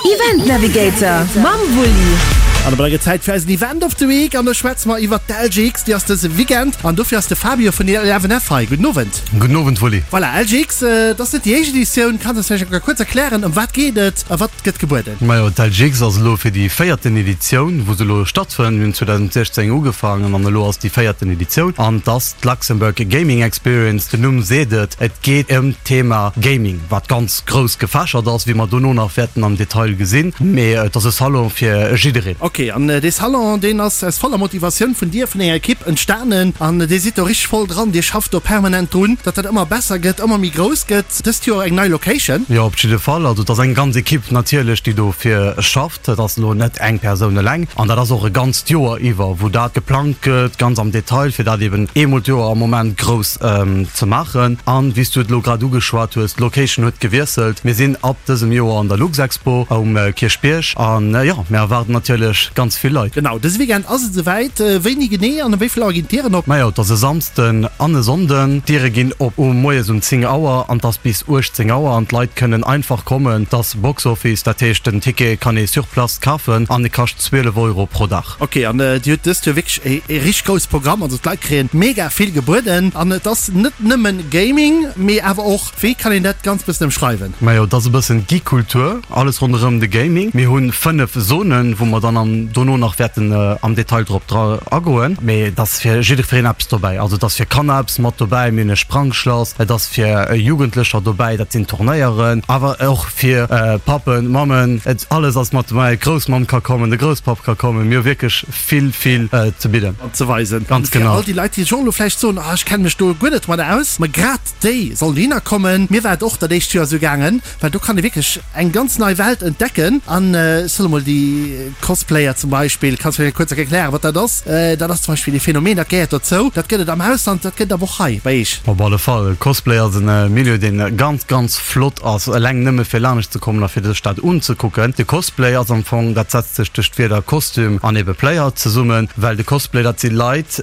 Event Navigator mam Wulli. An op gëtt Zäit fir eisen Event of the Week an do schwätze mer iwwert d'LGX, déi ass dëse Weekend an dofir ass de Fabio vun 11F hei. Gudden Owend. Gudden Owend Wulli. Voilà, LGX, et ass net déi éischt Editioun. Kanns eis vläicht eng Kéier kuerz erklären, ëm wat geet et a wat gëtt gebueden? Majo, d'LGX ass elo fir déi véierten Editioun, wou se elo stattfënnt. Mir hunn 2016 ugefaangen an elo ass déi véierten Editioun an et ass d'Luxembourg Gaming Experience. Den Numm seet et, et geet ëm d'Thema Gaming, wat ganz grouss gefächert ass, wéi mer dono nach wäerten am Detail gesinn, mee et ass e Salon fir jiddereen. Ok, an dee Salon, deen ass aus voller Motivatioun vun dir, vun denger Ekipp entstanen an dir sidd do richteg voll dran, dir schafft do permanent drun, datt dat ëmmer besser gëtt, ëmmer méi grouss gëtt. Dëst Joer eng nei Location. Jo, op jidde Fall. Also et ass eng ganz Ekipp natierlech, déi dofir schafft. Dat ass elo net eng Persoun eleng an dat ass och e ganzt Joer iwwer, wou dat geplangt gëtt, ganz am Detail, fir dat eben eemol d'Joer am Moment grouss ze maachen. An, wéi s du et elo grad ugeschwat hues, d'Location huet gewiesselt. Mir sinn ab dësem Joer an der Luxexpo um Kierchbierg an, jo, mir erwaarden natierlech ganz vill Leit. Genau, dëse Weekend ass et esouwäit. Wéini genee an ëm wéi vill Auer ginn d'Dieren op? Majo, et ass e Samsden an e Sonnden. D'Diere ginn op um moies um 10 Auer an et ass bis 18 Auer an d'Leit kënnen einfach kommen. Et ass Box Office, dat heescht den Ticket kann ee sur place kafen an e kascht 12 Euro pro Dag. Ok, an Dir hutt dëst Joer wierklech e richteg grousse Programm, also d'Leit kréien mega vill gebueden an et ass net nëmmen Gaming, mee awer och, wéi kann een dat ganz bëssen ëmschreiwen? Majo, et ass e bëssen Geek-Kultur, alles ronderëm de Gaming. Mir hu 5 Zonen, wou mer dann am dono nach wäerten am Detail drop dra agoen, mee et ass fir jiddwereen eppes dobäi. Also et ass fir Kanner eppes mat dobäi, mir hunn e Sprangschlass, et ass fir Jugendlecher dobäi, dat sinn Turnéieren, awer och fir Pappen, Mammen, et alles ass mat dobäi, d'Groussmamm ka kommen, de Grousspapp ka kommen, mir hu wierklech vill, vill ze bidden. An ze weisen. Ganz genau. Fir all déi Leit, déi sech och elo vläicht soen, ah ech kenne mech do guer net domadder aus, ma grad déi sollen dohinner kommen. Mir war et och dat éischt Joer esou gaangen, well do kann ee wierklech eng ganz nei Welt entdecken. An ech soen emol, déi Cosplayer zum Beispill, kanns du mir kuerz erklären, wat dat ass? Dat ass zum Beispill ee Phänomen, dat gehéiert dozou, dat gëtt et am Ausland, dat gëtt et awer och hei bei eech. Op alle Fall, Cosplay ass e Milieu, dee ganz, ganz flott ass, eleng nëmme fir lanescht ze kommen a fir sech dat unzekucken. De Cosplay ass am Fong, dat setzt sech duerch d'Wierder Kostüm an ebe Player zesummen, well de Cosplay, dat si Leit,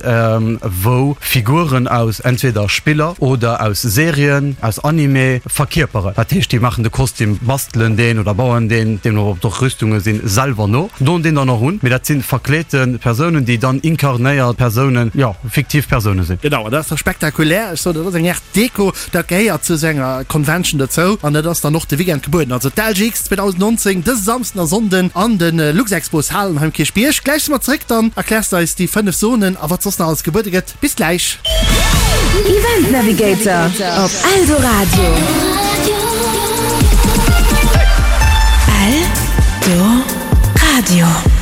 wou Figuren aus entweder Spiller oder aus Serien, aus Anime verkierperen. Dat heescht, déi maachen de Kostüm, bastelen deen oder bauen deen, deemno ob et och Rüstunge sinn, selwer no, doen deen dann och un. Mee dat si verkleete Persounen, déi dann inkarnéiert Persounen, jo, fiktiv Persoune sinn. Genau, an dat ass da spektakulär. Ech soen, dat ass eng Aart Deko. Dat gehéiert zu esou enger Convention dozou an dat ass dann och de Weekend gebueden. Also d'LGX 2019 dëse Samsden a Sonnden an de Luxexpo Halen hei um Kierchbierg. Gläich si mer zeréck, dann erkläers de eis déi 5 Zonen a wat soss nach alles gebuede gëtt. Bis gläich! Event Navigator op Eldoradio. Eldoradio.